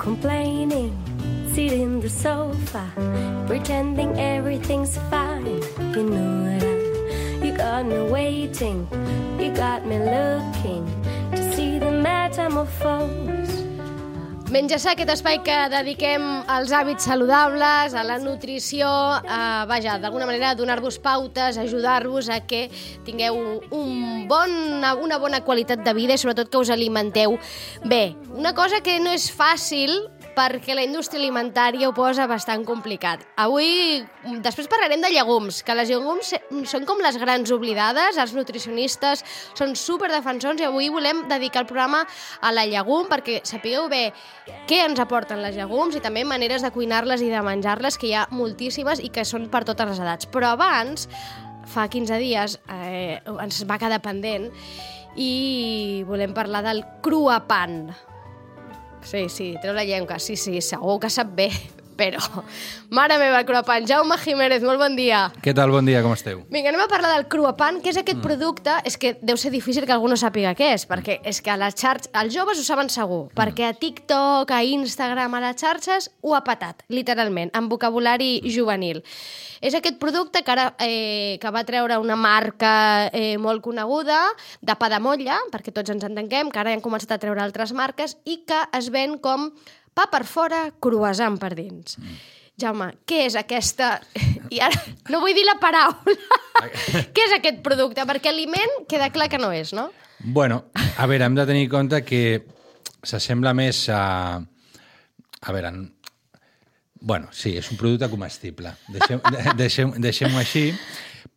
Complaining, sit in the sofa, pretending everything's fine. You know that you got me waiting, you got me looking to see the metamorphose. Menja Sa, aquest espai que dediquem als hàbits saludables, a la nutrició, d'alguna manera donar-vos pautes, ajudar-vos a que tingueu una bona qualitat de vida i sobretot que us alimenteu bé. Una cosa que no és fàcil perquè la indústria alimentària ho posa bastant complicat. Avui, després parlarem de llegums, que les llegums són com les grans oblidades, els nutricionistes són superdefensors i avui volem dedicar el programa a la llegum perquè sapigueu bé què ens aporten les llegums i també maneres de cuinar-les i de menjar-les, que hi ha moltíssimes i que són per totes les edats. Però abans, fa 15 dies, ens va quedar pendent i volem parlar del cruapan. Sí, treu la llengua, sí, segur que sap bé, però... Mare meva, cruapan. Jaume Jiménez, molt bon dia. Què tal? Bon dia, com esteu? Vinga, anem a parlar del cruapan, que és aquest producte... És que deu ser difícil que algú no sàpiga què és, perquè és que a les xarxes... Els joves ho saben segur, perquè a TikTok, a Instagram, a les xarxes, ho ha patat, literalment, amb vocabulari juvenil. És aquest producte que ara que va treure una marca molt coneguda, de pa de motlla, perquè tots ens entenguem, que ara han començat a treure altres marques, i que es ven com pa per fora, croissant per dins. Jaume, què és aquesta... I ara no vull dir la paraula. Què és aquest producte? Perquè aliment queda clar que no és, no? Bueno, a veure, hem de tenir en compte que s'assembla més a... A veure... Bueno, sí, és un producte comestible. Deixem-ho així,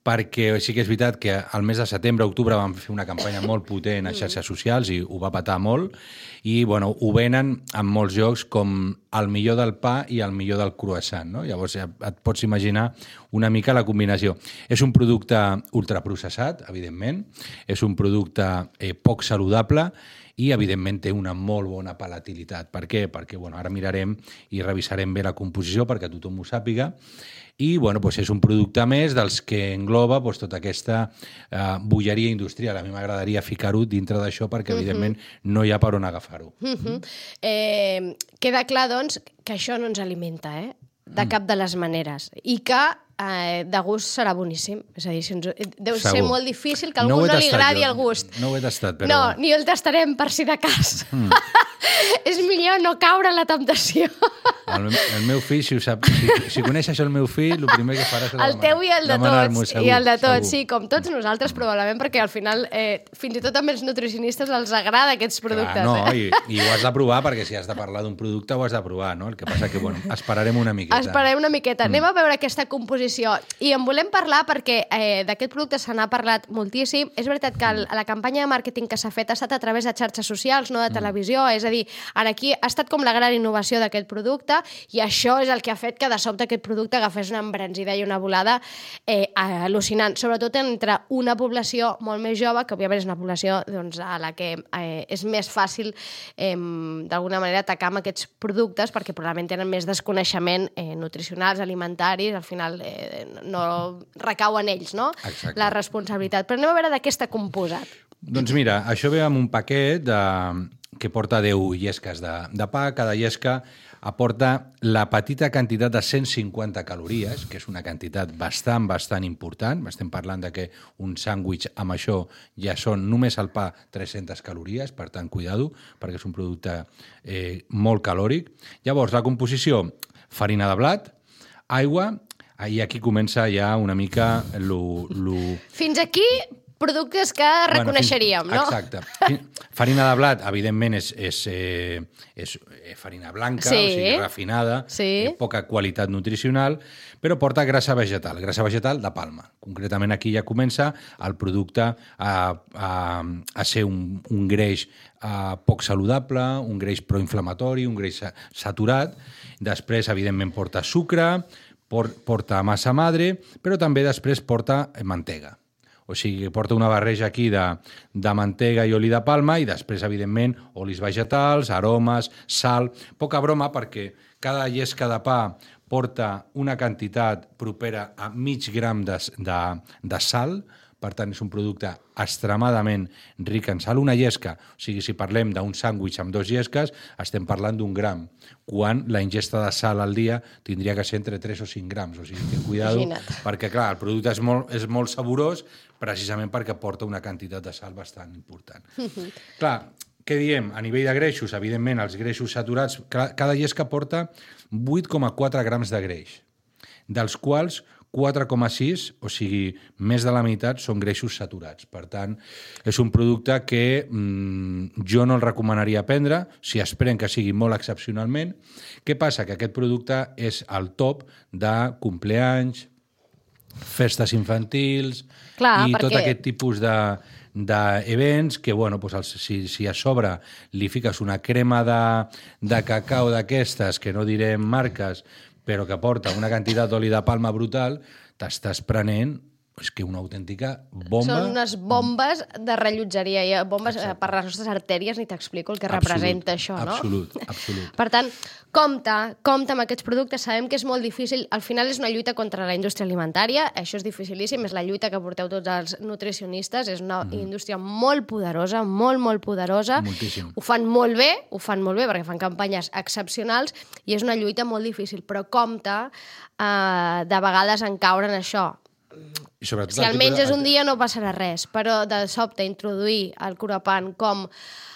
perquè sí que és veritat que al mes de setembre, octubre, vam fer una campanya molt potent a xarxes socials i ho va patar molt, i bueno, ho venen en molts llocs com el millor del pa i el millor del croissant, no? Llavors et pots imaginar una mica la combinació. És un producte ultraprocessat, evidentment, és un producte poc saludable, i, evidentment, té una molt bona palatilitat. Per què? Perquè ara mirarem i revisarem bé la composició perquè tothom ho sàpiga. I és un producte més dels que engloba tota aquesta bolleria industrial. A mi m'agradaria ficar-ho dintre d'això perquè, evidentment, no hi ha per on agafar-ho. Queda clar, doncs, que això no ens alimenta, de cap de les maneres. I que de gust serà boníssim. És a dir, deu ser molt difícil que a algú no li agradi el gust. No ho he tastat, però... No, ni el tastarem per si de cas. És millor no caure en la temptació. El meu fill, si coneix això el meu fill, el primer que farà serà el teu i el de tots, i el de tots, segur. Sí, com tots nosaltres probablement, perquè al final fins i tot també els nutricionistes els agrada aquests productes. Clar, i ho has de provar, perquè si has de parlar d'un producte ho has de provar, no? El que passa que, esperarem una miqueta. Anem a veure aquesta composició, i en volem parlar perquè d'aquest producte se n'ha parlat moltíssim. És veritat que la campanya de màrqueting que s'ha fet ha estat a través de xarxes socials, no de televisió, és a dir, aquí ha estat com la gran innovació d'aquest producte, i això és el que ha fet que de sobte aquest producte agafés una embranzida i una volada al·lucinant, sobretot entre una població molt més jove, que òbviament és una població a la que és més fàcil d'alguna manera atacar amb aquests productes, perquè probablement tenen més desconeixement nutricionals, alimentaris, al final no recau en ells, no? Exacte. La responsabilitat. Però anem a veure de què està composat. Doncs mira, això ve amb un paquet que porta 10 llesques de pa. Cada llesca aporta la petita quantitat de 150 calories, que és una quantitat bastant important. Estem parlant de que un sàndwich amb això ja són només al pa 300 calories, per tant, cuidado, perquè és un producte molt calòric. Llavors, la composició, farina de blat, aigua, i aquí comença ja una mica Fins aquí productes que reconeixeríem, no? Exacte. Farina de blat, evidentment, és farina blanca, sí, o sigui, refinada, sí, poca qualitat nutricional, però porta grassa vegetal de palma. Concretament aquí ja comença el producte a ser un greix poc saludable, un greix proinflamatori, un greix saturat. Després, evidentment, porta sucre, porta massa madre, però també després porta mantega. O sigui, porta una barreja aquí de mantega i oli de palma i després, evidentment, olis vegetals, aromes, sal... Poca broma perquè cada llesca de pa porta una quantitat propera a mig gram de sal, per tant, és un producte extremadament ric en sal. Una llesca, o sigui, si parlem d'un sàndwich amb 2 llesques, estem parlant d'1 gram, quan la ingesta de sal al dia tindria que ser entre 3 o 5 grams. O sigui, que cuidado, perquè, clar, el producte és molt saborós precisament perquè porta una quantitat de sal bastant important. Clar, què diem? A nivell de greixos, evidentment, els greixos saturats, cada llesca porta 8,4 grams de greix, dels quals 4,6, o sigui, més de la meitat són greixos saturats. Per tant, és un producte que jo no el recomanaria prendre si es pren que sigui molt excepcionalment. Què passa? Que aquest producte és al top de compleanys, festes infantils i tot aquest tipus d'events que, bueno, doncs si a sobre li fiques una crema de cacau d'aquestes, que no direm marques, però que porta una quantitat d'oli de palma brutal, t'estàs prenent és que una autèntica bomba... Són unes bombes de rellotgeria, bombes per les nostres artèries, ni t'explico el que representa això, no? Absolut. Per tant, compte amb aquests productes, sabem que és molt difícil, al final és una lluita contra la indústria alimentària, això és dificilíssim, és la lluita que porteu tots els nutricionistes, és una indústria molt poderosa, molt poderosa. Moltíssim. Ho fan molt bé perquè fan campanyes excepcionals i és una lluita molt difícil, però compte de vegades en caure en això. Si el menges un dia no passarà res, però de sobte introduir el curapan com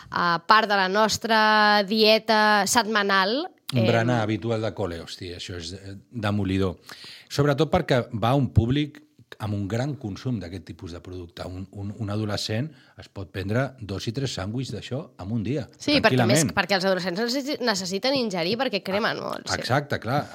part de la nostra dieta setmanal... Un berenar habitual de col·le, hòstia, això és demolidor. Sobretot perquè va a un públic amb un gran consum d'aquest tipus de producte. Un adolescent es pot prendre 2 i 3 sàndwichs d'això en un dia, tranquil·lament. Perquè els adolescents necessiten ingerir perquè cremen molt. Exacte, clar.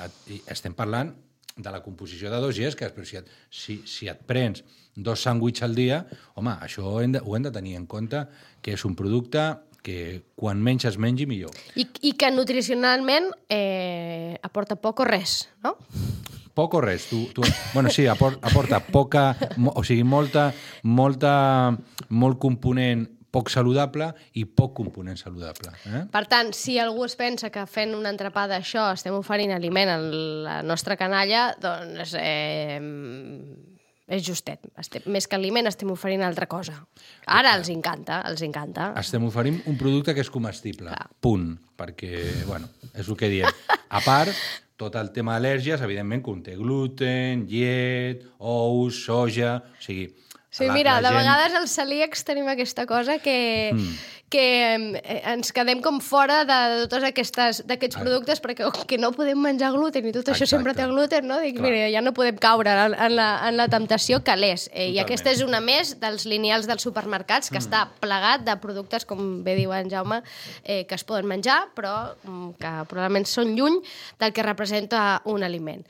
Estem parlant de la composició de 2 llesques, però si et prens 2 sàndwichs al dia, home, això ho hem de tenir en compte, que és un producte que quan menys es mengi, millor. I que nutricionalment aporta poc o res, no? Poc o res. Bueno, sí, aporta poca, o sigui, molt component poc saludable i poc component saludable. Per tant, si algú es pensa que fent un entrepà d'això estem oferint aliment a la nostra canalla, doncs és justet. Més que aliment estem oferint altra cosa. Ara els encanta. Estem oferint un producte que és comestible. Punt. Perquè, bueno, és el que diem. A part, tot el tema d'al·lèrgies, evidentment, conté gluten, llet, ous, soja... O sigui... Sí, mira, de vegades als celíacs tenim aquesta cosa que ens quedem com fora de tots aquests productes perquè no podem menjar gluten i tot això sempre té gluten, no? Dic, mira, ja no podem caure en la temptació que l'és. I aquesta és una més dels lineals dels supermercats que està plegat de productes, com bé diu en Jaume, que es poden menjar, però que probablement són lluny del que representa un aliment.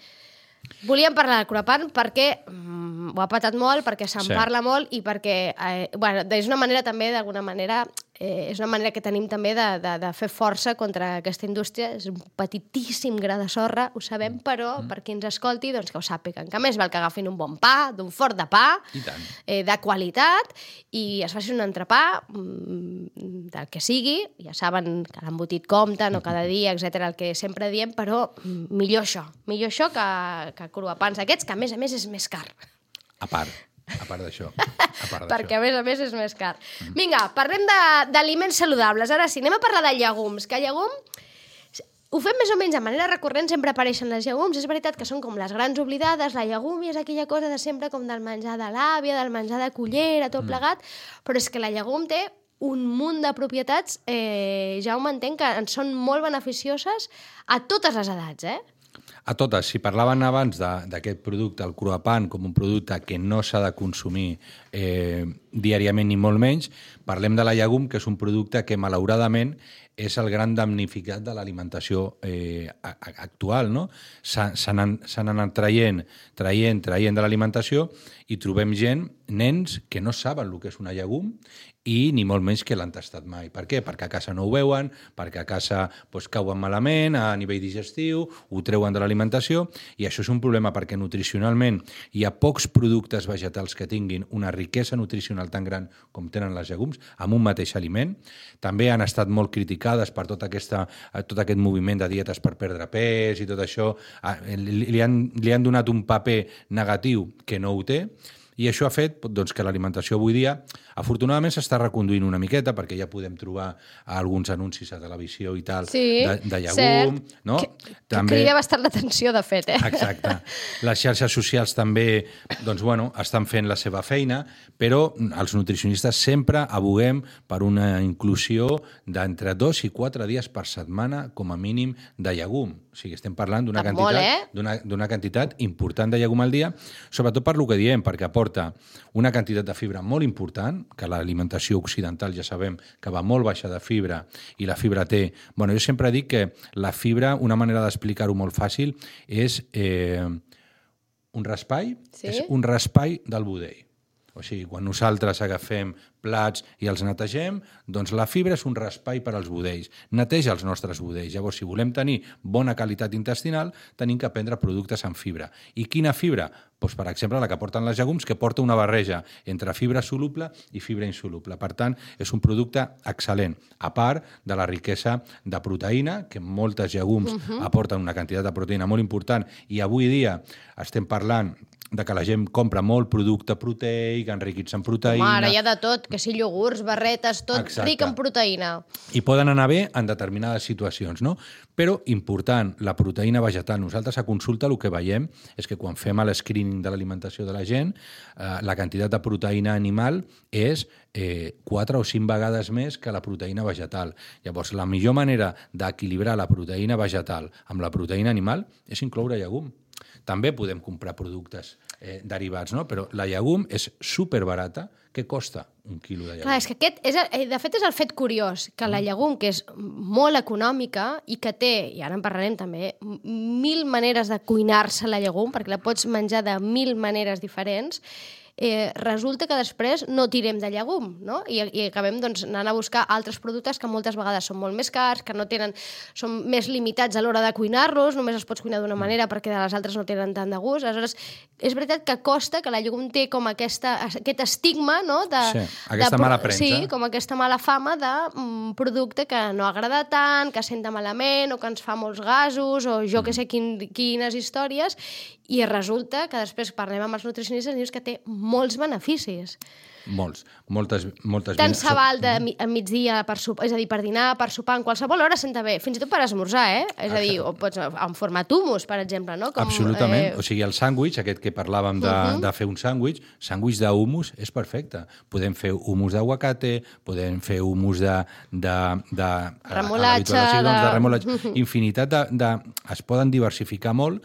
Volíem parlar del curapan perquè ho ha patat molt, perquè se'n parla molt i perquè és una manera també, d'alguna manera, és una manera que tenim també de fer força contra aquesta indústria. És un petitíssim gra de sorra, ho sabem, però per qui ens escolti, doncs que ho sàpiguen. Que més val que agafin un bon pa, d'un fort de pa, de qualitat, i es facin un entrepà del que sigui. Ja saben que l'embotit compta, no cada dia, etc, el que sempre diem, però millor això que cruapans aquests, que a més és més car. A part d'això. Perquè, a més, és més car. Vinga, parlem d'aliments saludables. Ara sí, anem a parlar de llegums. Que llegum, ho fem més o menys de manera recurrent, sempre apareixen les llegums. És veritat que són com les grans oblidades. La llegum és aquella cosa de sempre com del menjar de l'àvia, del menjar de cullera, tot plegat. Però és que la llegum té un munt de propietats, ja ho entenc, que en són molt beneficioses a totes les edats, A totes. Si parlaven abans d'aquest producte, el cruapan, com un producte que no s'ha de consumir diàriament ni molt menys. Parlem de la llegum, que és un producte que malauradament és el gran damnificat de l'alimentació actual, no? S'han anat traient de l'alimentació i trobem gent, nens, que no saben el que és una llegum i ni molt menys que l'han tastat mai. Per què? Perquè a casa no ho veuen, perquè a casa cauen malament a nivell digestiu, ho treuen de l'alimentació, i això és un problema perquè nutricionalment hi ha pocs productes vegetals que tinguin una riquesa nutricional tan gran com tenen les llegums amb un mateix aliment. També han estat molt criticades per tot aquest moviment de dietes per perdre pes i tot això. Li han donat un paper negatiu que no ho té, i això ha fet que l'alimentació avui dia, afortunadament, s'està reconduint una miqueta, perquè ja podem trobar alguns anuncis a televisió i tal, de llegum. No? Que crida bastant l'atenció, de fet. Exacte. Les xarxes socials també estan fent la seva feina, però els nutricionistes sempre aboguem per una inclusió d'entre 2 i 4 dies per setmana, com a mínim, de llegum. O sigui, estem parlant d'una quantitat important de llegum al dia, sobretot per lo que diem, perquè aporta una quantitat de fibra molt important, que l'alimentació occidental ja sabem que va molt baixa de fibra, i la fibra té... Jo sempre dic que la fibra, una manera d'explicar-ho molt fàcil, és un raspall, és un raspall del budell. O sigui, quan nosaltres agafem plats i els netegem, doncs la fibra és un raspall per als budells. Neteja els nostres budells. Llavors, si volem tenir bona qualitat intestinal, tenim que prendre productes amb fibra. I quina fibra? Doncs, per exemple, la que porten les llegums, que porta una barreja entre fibra soluble i fibra insoluble. Per tant, és un producte excel·lent, a part de la riquesa de proteïna, que moltes llegums aporten una quantitat de proteïna molt important, i avui dia estem parlant de que la gent compra molt producte proteic, enriquits en proteïna... Ara hi ha de tot, que si iogurts, barretes, tot ric en proteïna. I poden anar bé en determinades situacions, no? Però important, la proteïna vegetal. Nosaltres a consulta el que veiem és que quan fem l'escreening de l'alimentació de la gent, la quantitat de proteïna animal és 4 o 5 vegades més que la proteïna vegetal. Llavors, la millor manera d'equilibrar la proteïna vegetal amb la proteïna animal és incloure llegum. També podem comprar productes derivats, no? Però la llegum és superbarata. Què costa un quilo de llegum? Clar, és que de fet és el fet curiós, que la llegum, que és molt econòmica i que té, i ara en parlarem també, 1000 maneres de cuinar-se la llegum, perquè la pots menjar de 1000 maneres diferents, resulta que després no tirem de llegum, no? I acabem anant a buscar altres productes que moltes vegades són molt més cars, que no tenen, són més limitats a l'hora de cuinar-los, només els pots cuinar d'una manera perquè de les altres no tenen tant de gust. Aleshores, és veritat que costa, que la llegum té com aquest estigma, no? Aquesta mala premsa. Sí, com aquesta mala fama de producte que no agrada tant, que senta malament, o que ens fa molts gasos, o jo que sé quines històries, i resulta que després parlem amb els nutricionistes i dius que té molts beneficis. Moltes. Tant se val a migdia per sopar, és a dir, per dinar, per sopar, en qualsevol hora senta bé, fins i tot per esmorzar, És a dir, o pots en format hummus, per exemple, no? Absolutament. O sigui, el sàndwich, aquest que parlàvem de fer un sàndwich d'hummus és perfecte. Podem fer hummus d'aguacate, podem fer hummus de remolatge, infinitat es poden diversificar molt.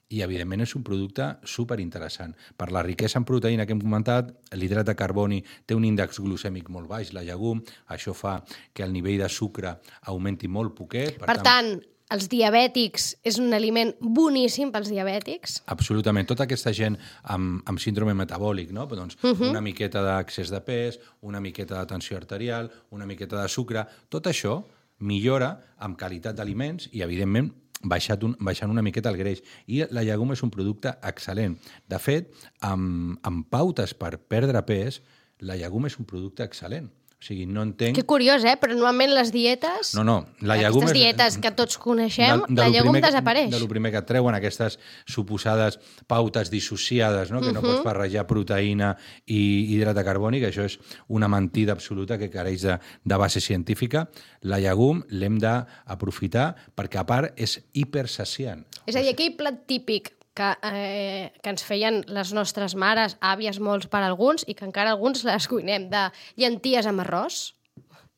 I, evidentment, és un producte superinteressant. Per la riquesa en proteïna que hem comentat, l'hidrat de carboni té un índex glucèmic molt baix, la llegum, això fa que el nivell de sucre augmenti molt poquet. Per tant, els diabètics és un aliment boníssim pels diabètics? Absolutament. Tota aquesta gent amb síndrome metabòlic, no? Doncs una miqueta d'excés de pes, una miqueta de tensió arterial, una miqueta de sucre, tot això millora amb qualitat d'aliments i, evidentment, baixant una miqueta el greix. I la llegum és un producte excel·lent. De fet, amb pautes per perdre pes, la llegum és un producte excel·lent. O sigui, no entenc... Que curiós, però normalment les dietes... No, la llegum aquestes dietes que tots coneixem, la llegum desapareix. De lo primer que et treuen aquestes suposades pautes dissociades, no? Que no pots barrejar proteïna i hidrat de carboni, que això és una mentida absoluta que careix de base científica. La llegum l'hem d'aprofitar perquè, a part, és hipersaciant. És a dir, aquell plat típic que ens feien les nostres mares, àvies molts per alguns, i que encara alguns les cuinem, de llenties amb arròs,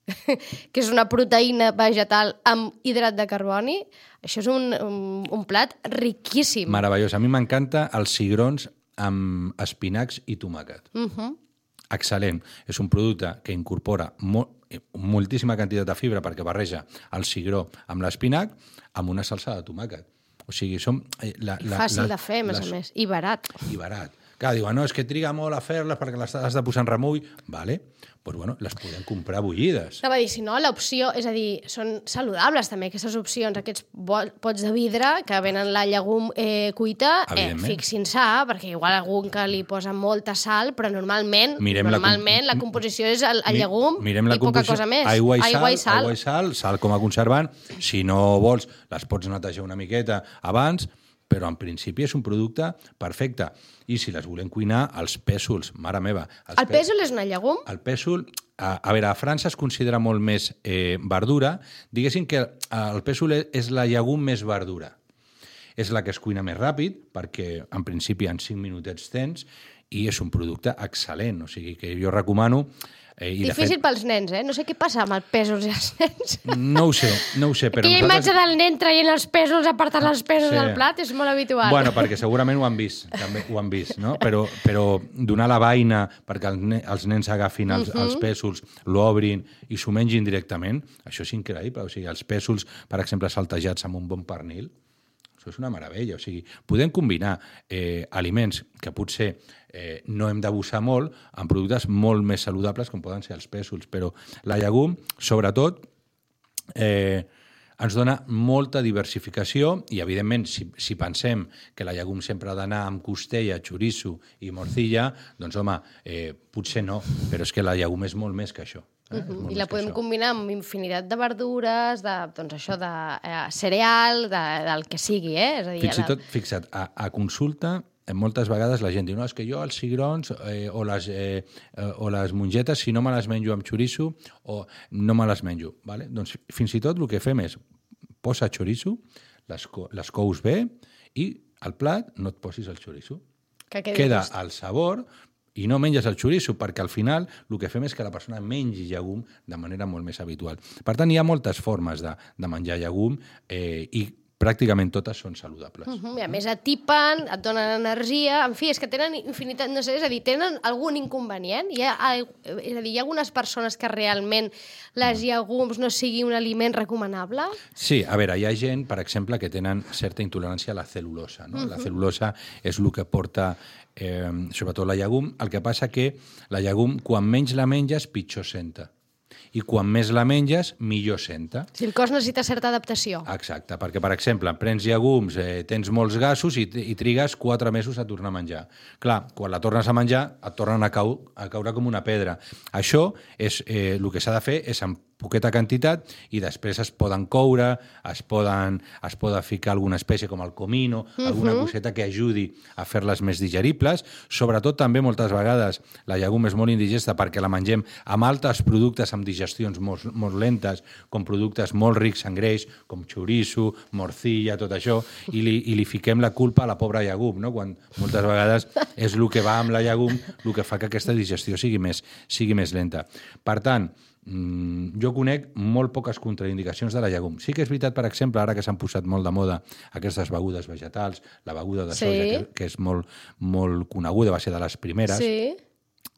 que és una proteïna vegetal amb hidrat de carboni. Això és un plat riquíssim. Meravellós. A mi m'encanta els cigrons amb espinacs i tomàquet. excel·lent. És un producte que incorpora moltíssima quantitat de fibra perquè barreja el cigró amb l'espinac amb una salsa de tomàquet. O sigui, som... Fàcil de fer, a més, i barat. I barat. Clar, diuen, no, és que triga molt a fer-les perquè les has de posar en remull. Vale, doncs bueno, les podem comprar bullides. Anava a dir, si no, l'opció, és a dir, són saludables també aquestes opcions, aquests pots de vidre que venen la llegum cuita, fixin-se, perquè igual algun que li posa molta sal, però normalment la composició és el llegum i poca cosa més. Aigua i sal com a conservant. Si no vols, les pots netejar una miqueta abans, però en principi és un producte perfecte. I si les volem cuinar, els pèsols, mare meva. El pèsol és una llegum? El pèsol, a veure, a França es considera molt més verdura. Diguéssim que el pèsol és la llegum més verdura. És la que es cuina més ràpid, perquè en principi en 5 minutets tens, i és un producte excel·lent. O sigui que jo recomano... Difícil pels nens, No sé què passa amb els pèsols i els nens. No ho sé, però... Aquella imatge del nen traient els pèsols, apartant els pèsols del plat, és molt habitual. Bueno, perquè segurament ho han vist, també ho han vist, no? Però donar la vaina perquè els nens agafin els pèsols, l'obrin i s'ho mengin directament, això és increïble. O sigui, els pèsols, per exemple, saltejats amb un bon pernil, això és una meravella. O sigui, podem combinar aliments que potser no hem d'abusar molt amb productes molt més saludables com poden ser els pèsols, però la llegum, sobretot, ens dona molta diversificació i, evidentment, si pensem que la llegum sempre ha d'anar amb costella, xoriço i morcilla, doncs, home, potser no, però és que la llegum és molt més que això. I la podem combinar amb infinitat de verdures, de cereal, del que sigui, És a dir, fins i tot, fixa't, a consulta, moltes vegades la gent diu, no, és que jo els cigrons o les mongetes, si no me les menjo amb xoriço, o no me les menjo. Vale? Doncs fins i tot el que fem és posa xoriço, les cous bé, i al plat no et posis el xoriço. Queda el sabor i no menges el xoriço, perquè al final el que fem és que la persona mengi llegum de manera molt més habitual. Per tant, hi ha moltes formes de menjar llegum i pràcticament totes són saludables. I a més atipen, et donen energia, en fi, és que tenen infinitat, no sé, és a dir, tenen algun inconvenient? És a dir, hi ha algunes persones que realment les llegums no sigui un aliment recomanable? Sí, a veure, hi ha gent, per exemple, que tenen certa intolerància a la cel·lulosa, no? La cel·lulosa és el que porta sobretot la llegum. El que passa que la llegum, quan menys la menges, pitjor senta. I quan més la menges, millor senta. Si el cos necessita certa adaptació. Exacte, perquè, per exemple, prens llegums, tens molts gasos i trigues 4 mesos a tornar a menjar. Clar, quan la tornes a menjar, et tornen a caure com una pedra. Això és el que s'ha de fer és amb poqueta quantitat i després es poden coure, es poden ficar alguna espècie com el comino, alguna coseta que ajudi a fer-les més digeribles. Sobretot també moltes vegades la llegum és molt indigesta perquè la mengem amb altres productes amb digestions molt lentes, com productes molt rics en greix, com xoriço, morcilla, tot això, i li fiquem la culpa a la pobra llegum, no? Quan moltes vegades és el que va amb la llegum el que fa que aquesta digestió sigui més lenta. Per tant, jo conec molt poques contraindicacions de la llegum. Sí que és veritat, per exemple, ara que s'han posat molt de moda aquestes begudes vegetals, la beguda de soja, que és molt, molt coneguda, va ser de les primeres. Sí.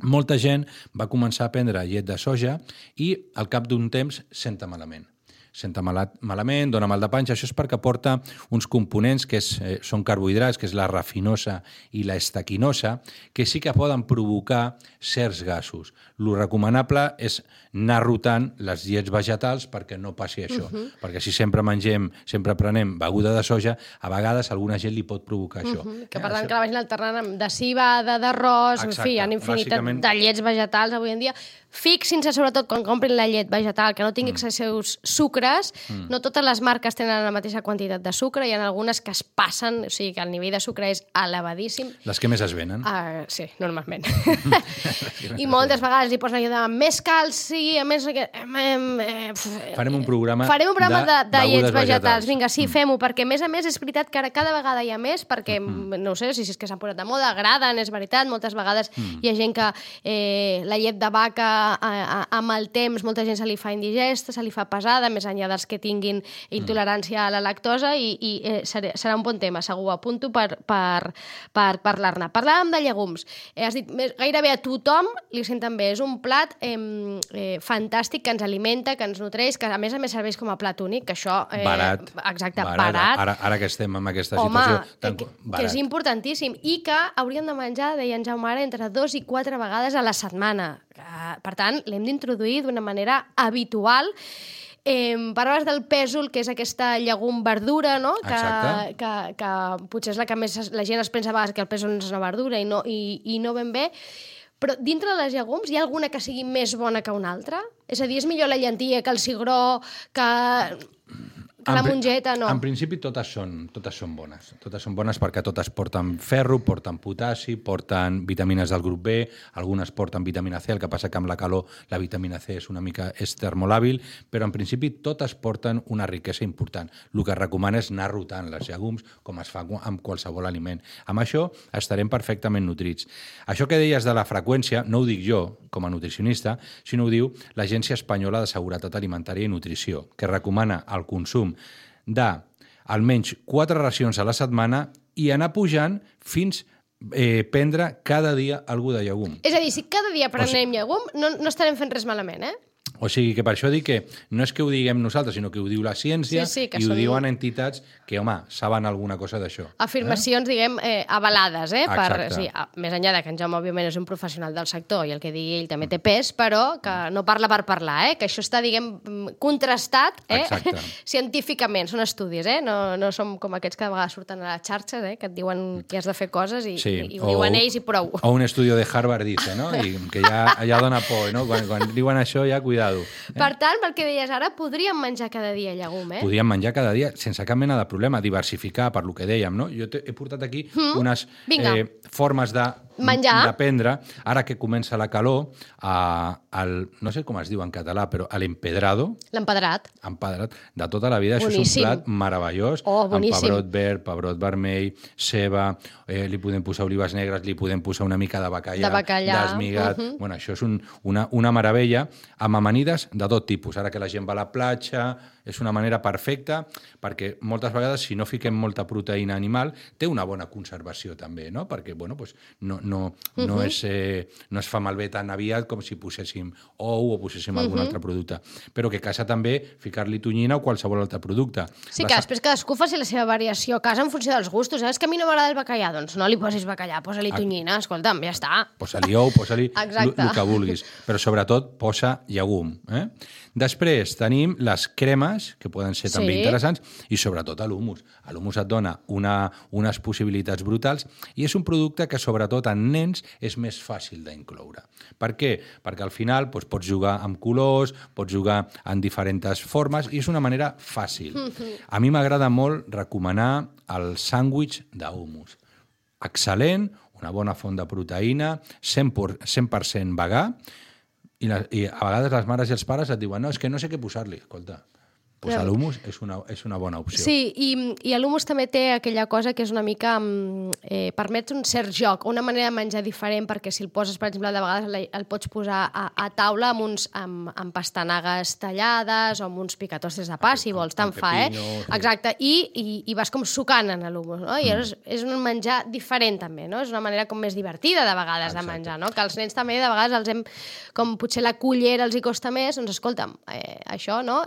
Molta gent va començar a prendre llet de soja i al cap d'un temps senta malament. Senta malament, dona mal de panxa. Això és perquè porta uns components que són carbohidrats, que és la rafinosa i la estaquinosa, que sí que poden provocar certs gasos. Lo recomanable és anar rotant les llets vegetals perquè no passi això. Perquè si sempre prenem beguda de soja, a vegades a alguna gent li pot provocar això. Que per tant que la vagin alternant de civada, d'arròs, en fi, hi ha infinitat de llets vegetals avui en dia. Fixin-se sobretot quan comprin la llet vegetal que no tingui excessius sucres. No totes les marques tenen la mateixa quantitat de sucre, hi ha algunes que es passen, o sigui que el nivell de sucre és elevadíssim. Les que més es venen. Sí, normalment. I moltes vegades li posen allò de més calci, a més... Farem un programa de llets vegetals. Vinga, sí, fem-ho, perquè a més és veritat que ara cada vegada hi ha més, perquè no sé si és que s'han posat de moda, agraden, és veritat, moltes vegades hi ha gent que la llet de vaca amb el temps molta gent se li fa indigesta, se li fa pesada, més enllà dels que tinguin intolerància a la lactosa, i serà un bon tema, segur, apunto per parlar-ne. Parlàvem de llegums. Has dit, gairebé a tothom li senten bé. És un plat fantàstic, que ens alimenta, que ens nutreix, que a més serveix com a plat únic, que això... Barat. Exacte, barat. Ara que estem en aquesta situació... Que és importantíssim, i que hauríem de menjar, deia en Jaume ara, entre 2 i 4 vegades a la setmana. Per tant, l'hem d'introduir d'una manera habitual. Parlaves del pèsol, que és aquesta llegum-verdura, no? Que potser és la que més la gent es pensa a vegades que el pèsol és una verdura i no ben bé. Però dintre de les llegums hi ha alguna que sigui més bona que una altra? És a dir, és millor la llentia que el cigró, que la mongeta, no? En principi totes són bones. Totes són bones perquè totes porten ferro, porten potassi, porten vitamines del grup B, algunes porten vitamina C, el que passa que amb la calor la vitamina C és termolàbil, però en principi totes porten una riquesa important. El que es recomana és anar rotant les llegums, com es fa amb qualsevol aliment. Amb això estarem perfectament nutrits. Això que deies de la freqüència, no ho dic jo, com a nutricionista, sinó ho diu l'Agència Espanyola de Seguretat Alimentària i Nutrició, que recomana el consum d'almenys 4 racions a la setmana i anar pujant fins prendre cada dia alguna de llegum. És a dir, si cada dia prenem llegum, no estarem fent res malament, eh? O sigui que per això dic que no és que ho diguem nosaltres, sinó que ho diu la ciència, i ho diuen entitats que, home, saben alguna cosa d'això. Afirmacions, diguem, avalades, Exacte. Més enllà de que en Jaume, òbviament, és un professional del sector i el que digui ell també té pes, però que no parla per parlar, que això està, diguem, contrastat científicament. Són estudis, no som com aquests que de vegades surten a les xarxes, que et diuen que has de fer coses i ho diuen ells i prou. O un estudi de Harvard dice, no? I que ja dona por, no? Quan diuen això, ja cuidado. Per tant, pel que deies ara, podríem menjar cada dia llegum, Podríem menjar cada dia sense cap mena de problema, diversificar, per lo que dèiem, no? Jo he portat aquí unes formes de prendre, ara que comença la calor, no sé com es diu en català, però l'empedrado. L'empedrat. De tota la vida. Boníssim. Això és un plat meravellós, amb pebrot verd, pebrot vermell, ceba, li podem posar olives negres, li podem posar una mica de bacallà, d'esmigat. Bueno, això és una meravella, amb amanides de tot tipus. Ara que la gent va a la platja, és una manera perfecta, perquè moltes vegades, si no fiquem molta proteïna animal, té una bona conservació també, no? Perquè, bueno, pues, no es fa malbé tan aviat com si poséssim ou o poséssim algun altre producte. Però que a casa també ficar-li tonyina o qualsevol altre producte. Sí, que després cadascú faci la seva variació a casa en funció dels gustos. És que a mi no m'agrada el bacallà, doncs no li posis bacallà, posa-li tonyina, escolta'm, ja està. Posa-li ou, posa-li el que vulguis. Però sobretot posa llegum. Després tenim les cremes, que poden ser també interessants, i sobretot l'humus. L'humus et dona unes possibilitats brutals i és un producte que sobretot en nens és més fàcil d'incloure. Per què? Perquè al final pots jugar amb colors, pots jugar en diferents formes i és una manera fàcil. A mi m'agrada molt recomanar el sàndwich d'humus. Excel·lent, una bona font de proteïna, 100% vegà, i a vegades les mares i els pares et diuen no, és que no sé què posar-li. Escolta, pues l'humus és una bona opció. Sí, i l'humus també té aquella cosa que és una mica... permet un cert joc, una manera de menjar diferent, perquè si el poses, per exemple, de vegades el pots posar a taula amb pastanagues tallades o amb uns picatostes de pa, si vols, tant fa, Exacte, i vas com sucant en l'humus, no? I és un menjar diferent, també, no? És una manera com més divertida, de vegades, de menjar, no? Que els nens també, de vegades, els hem... Com potser la cullera els hi costa més, doncs, escolta'm, això, no?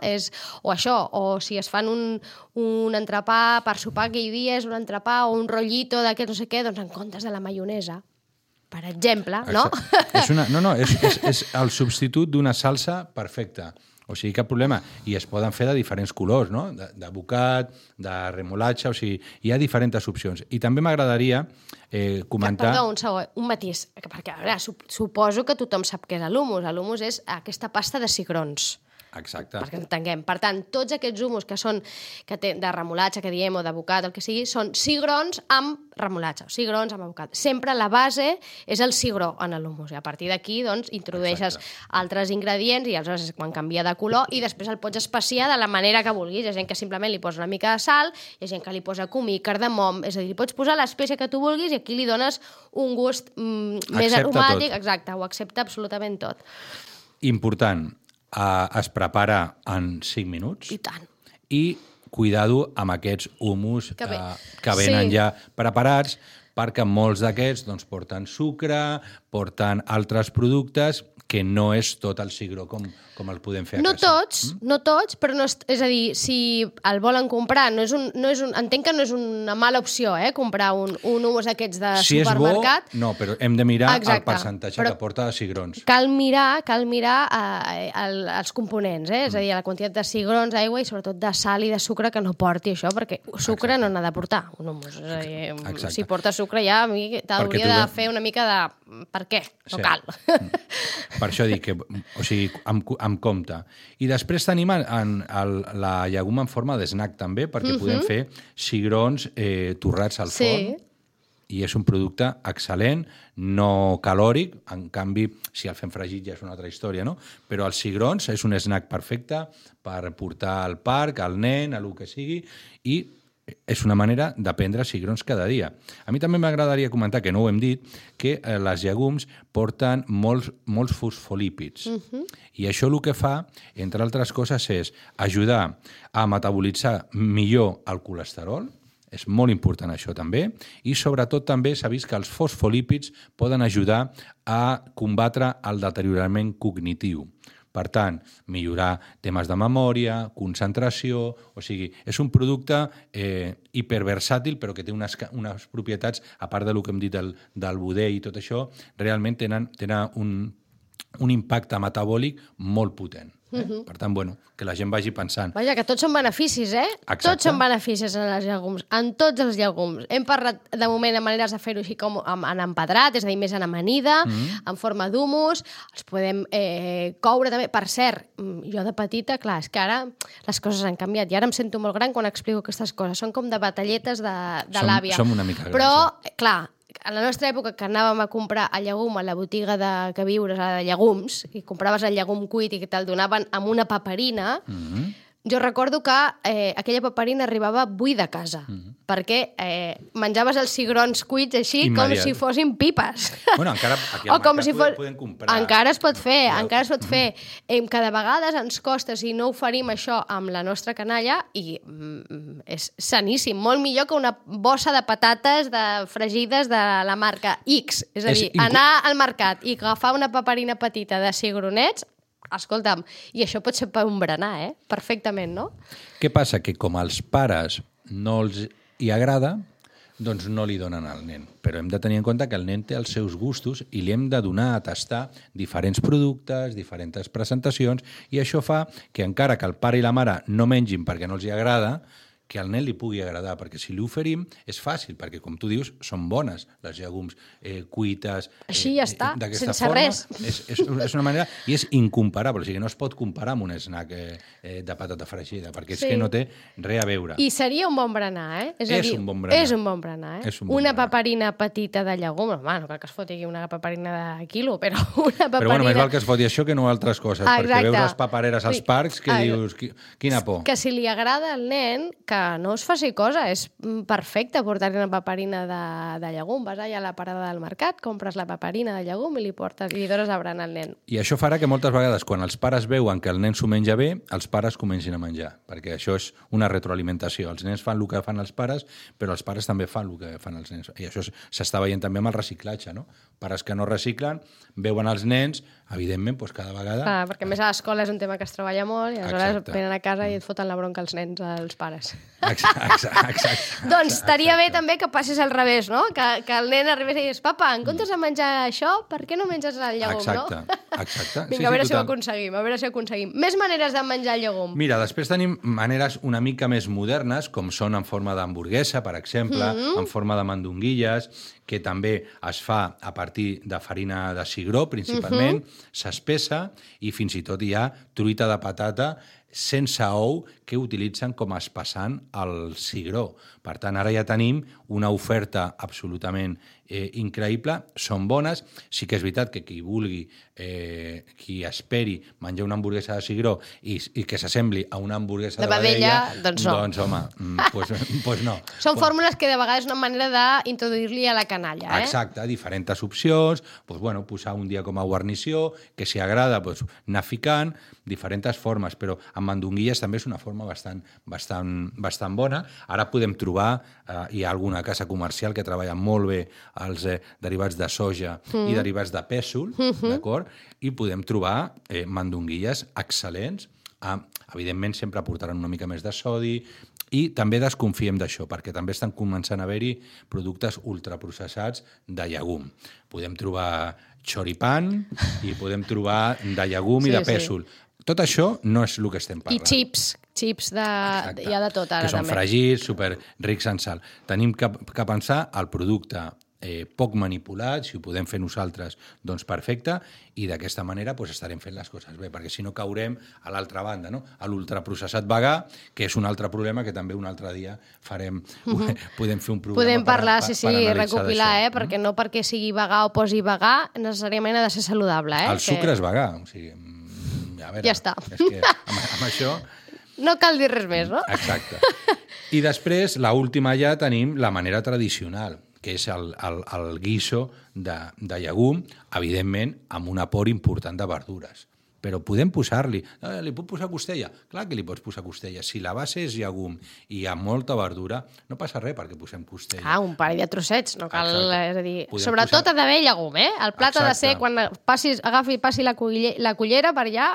O si es fan un entrepà per sopar aquell dia, és un entrepà o un rotllito d'aquest no sé què, doncs en comptes de la maionesa, per exemple, no? És el substitut d'una salsa perfecta. O sigui, cap problema. I es poden fer de diferents colors, no? De bocat, de remolatge, o sigui, hi ha diferents opcions. I també m'agradaria comentar... Perdó, un segon, un matís, perquè, a veure, suposo que tothom sap què és l'humus. L'humus és aquesta pasta de cigrons. Exacte. Perquè entenguem. Per tant, tots aquests humus que són de remolatge, que diem, o de bocat, el que sigui, són cigrons amb remolatge, o cigrons amb bocat. Sempre la base és el cigró en l'humus. I a partir d'aquí, doncs, introdueixes altres ingredients i aleshores quan canvia de color i després el pots especiar de la manera que vulguis. Hi ha gent que simplement li posa una mica de sal, hi ha gent que li posa comí, cardamom, és a dir, li pots posar l'espècie que tu vulguis i aquí li dones un gust més aromàtic. Exacte, ho accepta absolutament tot. Important, es prepara en 5 minuts. I tant. I cuidado amb aquests humus que venen Sí. ja preparats, perquè molts d'aquests doncs, porten sucre, porten altres productes que no és tot el cigró com el podem fer a casa. No tots, però no és a dir, si el volen comprar, entenc que no és una mala opció, comprar un humus aquests de supermercat. Si és bo, no, però hem de mirar Exacte, el percentatge que porta de cigrons. Cal mirar els components, és a dir, la quantitat de cigrons, aigua i sobretot de sal i de sucre que no porti això, perquè sucre no n'ha de portar un humus. És a dir, si porta sucre ja t'hauria de fer una mica de per què, no cal. Per això dic que, o sigui, amb compte. I després tenim la llegum en forma d'snack també, perquè podem fer cigrons torrats al forn. I és un producte excel·lent, no calòric, en canvi, si el fem fregit ja és una altra història, no? Però els cigrons és un snack perfecte per portar al parc, al nen, a lo que sigui, i és una manera de prendre cigrons cada dia. A mi també m'agradaria comentar, que no ho hem dit, que les llegums porten molts fosfolípids. I això el que fa, entre altres coses, és ajudar a metabolitzar millor el colesterol, és molt important això també, i sobretot també s'ha vist que els fosfolípids poden ajudar a combatre el deteriorament cognitiu. Per tant, millorar temes de memòria, concentració... O sigui, és un producte hiperversàtil, però que té unes propietats, a part del que hem dit del budell i tot això, realment tenen un impacte metabòlic molt potent. Per tant, que la gent vagi pensant. Vaja, que tots són beneficis, Exacte. Tots són beneficis en les llegums, en tots els llegums. Hem parlat, de moment, de maneres de fer-ho així com en empedrat, és a dir, més en amanida, en forma d'humus, els podem coure també. Per cert, jo de petita, clar, és que ara les coses han canviat, i ara em sento molt gran quan explico aquestes coses. Són com de batalletes de l'àvia. Som una mica grans. Però, clar, a la nostra època, que anàvem a comprar el llegum a la botiga de queviures de llegums, i compraves el llegum cuit i que te'l donaven amb una paperina, jo recordo que aquella paperina arribava buida a casa, perquè menjaves els cigrons cuits així com si fossin pipes. Bueno, encara aquí al mercat podem comprar. Encara es pot fer, que de vegades ens costa, si no oferim això amb la nostra canalla, i és saníssim, molt millor que una bossa de patates fregides de la marca X. És a dir, anar al mercat i agafar una paperina petita de cigronets, escolta'm, i això pot ser per un berenar, perfectament, no? Què passa? Que com als pares no els hi agrada, doncs no li donen al nen. Però hem de tenir en compte que el nen té els seus gustos i li hem de donar a tastar diferents productes, diferents presentacions, i això fa que encara que el pare i la mare no mengin perquè no els hi agrada, que al nen li pugui agradar, perquè si li oferim és fàcil, perquè com tu dius, són bones les llegums cuites. Així ja està, sense res. És una manera, i és incomparable, o sigui, no es pot comparar amb un snack de patata fregida, perquè és que no té res a veure. I seria un bon berenar, És un bon berenar. És un bon berenar, Una paperina petita de llegum, no cal que es foti una paperina de quilo, però una paperina... Però bueno, més val que es foti això que no altres coses, perquè veus les papereres als parcs que dius, quina por. Que si li agrada al nen, que no es faci cosa, és perfecte portar-li una paperina de llegum. Vas allà a la parada del mercat, compres la paperina de llegum i li dones a berenar al nen. I això farà que moltes vegades, quan els pares veuen que el nen s'ho menja bé, els pares comencin a menjar, perquè això és una retroalimentació. Els nens fan el que fan els pares, però els pares també fan el que fan els nens. I això s'està veient també amb el reciclatge, no? Pares que no reciclen, veuen els nens, evidentment, doncs cada vegada... Perquè a més a l'escola és un tema que es treballa molt i aleshores venen a casa i et foten la bronca els nens, als pares. Exacte. Doncs estaria bé també que passis al revés, no? Que el nen arribés i digués, papa, en comptes de menjar això, per què no menges el llegum, no? Exacte. Vinga, a veure si ho aconseguim, Més maneres de menjar el llegum. Mira, després tenim maneres una mica més modernes, com són en forma d'hamburguesa, per exemple, en forma de mandonguilles, que també es fa a partir de farina de cigró, principalment, s'espessa, i fins i tot hi ha truita de patata sense ou que utilitzen com a espessant al cigró. Per tant, ara ja tenim una oferta absolutament increïble, són bones. Sí que és veritat que qui vulgui, qui esperi menjar una hamburguesa de cigró i que s'assembli a una hamburguesa de vedella, doncs no. Doncs, home, pues no. Són fórmules que de vegades és una manera d'introduir-li a la canalla, Exacte, diferents opcions, pues, bueno, posar un dia com a guarnició, que si agrada, pues, anar ficant, diferents formes, però amb mandonguilles també és una forma bastant bona. Ara podem trobar, hi ha alguna casa comercial que treballa molt bé els derivats de soja i derivats de pèsol, d'acord? I podem trobar mandonguilles excel·lents. Evidentment, sempre portaran una mica més de sodi i també desconfiem d'això, perquè també estan començant a haver-hi productes ultraprocessats de llegum. Podem trobar choripan i podem trobar de llegum i de pèsol. Tot això no és el que estem parlant. I chips hi ha de tot ara, que són també. fregits, super rics en sal. Tenim que pensar el producte poc manipulat, si ho podem fer nosaltres, doncs perfecte, i d'aquesta manera estarem fent les coses bé, perquè si no caurem a l'altra banda, no? A l'ultraprocessat vegà, que és un altre problema que també un altre dia farem, podem fer un programa podem parlar, per recopilar, perquè no perquè sigui vegà o posi vegà, necessàriament ha de ser saludable. El sucre és vegà, o sigui, a veure, ja està. És que amb això... No cal dir res més, no? Exacte. I després, l'última ja tenim la manera tradicional, que és el guiso de llegum, evidentment, amb un aport important de verdures. Però podem posar-li... Li puc posar costella? Clar que li pots posar costella. Si la base és llegum i hi ha molta verdura, no passa res perquè posem costella. Un parell de trossets, no cal... És a dir, podem sobretot ha d'haver llegum, El plat ha de ser, quan passi la cullera per allà,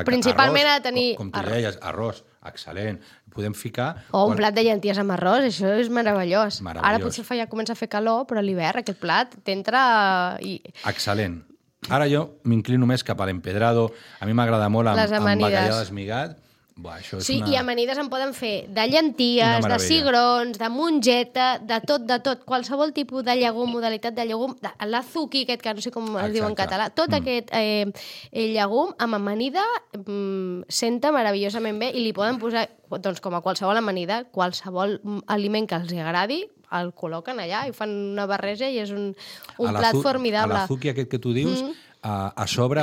principalment arròs, ha de tenir... Com tu deies, arròs, excel·lent. Podem ficar... O un plat de llenties amb arròs, això és meravellós. Ara potser ja comença a fer calor, però a l'hivern aquest plat t'entra... Excel·lent. Ara jo m'inclino més cap a l'empedrado. A mi m'agrada molt amb bacallà desmigat. I amanides en poden fer de llenties, de cigrons, de mongeta, de tot. Qualsevol tipus de llegum, modalitat de llegum, l'azuki, aquest que no sé com es diu en català, tot aquest llegum amb amanida senta meravellosament bé i li poden posar, doncs com a qualsevol amanida, qualsevol aliment que els agradi, el col·loquen allà i fan una barreja i és un plat formidable. L'azuki aquest que tu dius, a sobre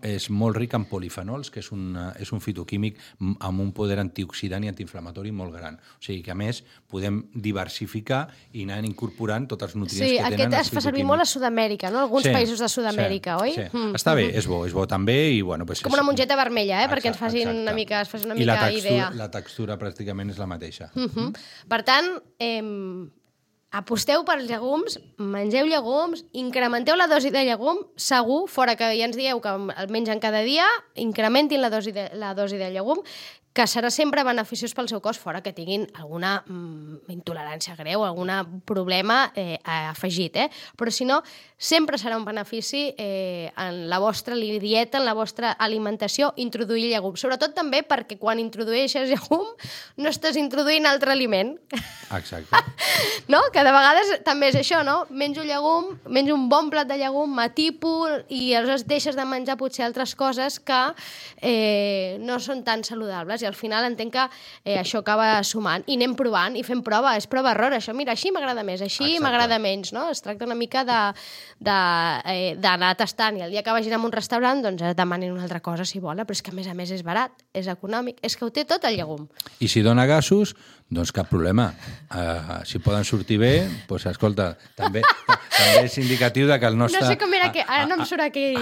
és molt ric en polifenols, que és un fitoquímic amb un poder antioxidant i antiinflamatori molt gran. O sigui que, a més, podem diversificar i anar incorporant tots els nutrients que tenen els fitoquímics. Sí, aquest es fa servir molt a Sud-amèrica, no? Alguns països de Sud-amèrica, oi? Sí. Està bé, és bo també. Com una mongeta vermella, perquè ens facin una mica idea. I la textura pràcticament és la mateixa. Per tant, aposteu pels llegums, mengeu llegums, incrementeu la dosi de llegum, segur, fora que ja ens dieu que el mengen cada dia, incrementin la dosi de llegum, que serà sempre beneficiós pel seu cos, fora que tinguin alguna intolerància greu, algun problema afegit. Però si no, sempre serà un benefici en la vostra dieta, en la vostra alimentació, introduir llegum. Sobretot també perquè quan introdueixes llegum no estàs introduint altre aliment. Exacte. No? Que de vegades també és això, no? Menjo llegum, menjo un bon plat de llegum, m'atipo i aleshores deixes de menjar potser altres coses que no són tan saludables i al final entenc que això acaba sumant i anem provant i fem prova, és prova-error això, mira, així m'agrada més, així m'agrada menys, no? Es tracta una mica d'anar tastant i el dia que vagin a un restaurant doncs demanin una altra cosa si volen, però és que a més és barat, és econòmic, és que ho té tot el llegum. I si dona gasos, doncs cap problema. Si poden sortir bé, doncs escolta, també és indicatiu que el nostre... No sé com era que... Ara no em surt aquell...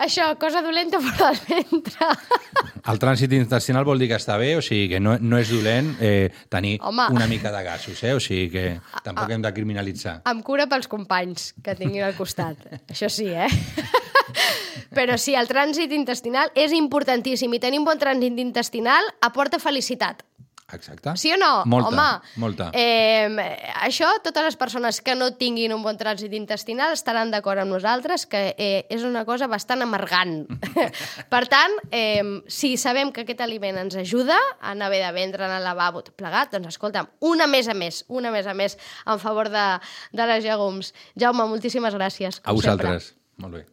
Això, cosa dolenta fora del ventre. El trànsit intestinal vol dir que està bé, o sigui que no és dolent tenir una mica de gasos, o sigui que tampoc hem de criminalitzar. Amb cura pels companys que tinguin al costat. Això sí, Però sí, el trànsit intestinal és importantíssim i tenir un bon trànsit intestinal aporta felicitat. Exacte. Sí o no? Molta. Això, totes les persones que no tinguin un bon trànsit intestinal estaran d'acord amb nosaltres que és una cosa bastant amargant. Per tant, si sabem que aquest aliment ens ajuda a anar bé de ventre, anar al lavabo, tot plegat, doncs escolta'm, una més a més en favor de les llegums. Jaume, moltíssimes gràcies. A vosaltres. Molt bé.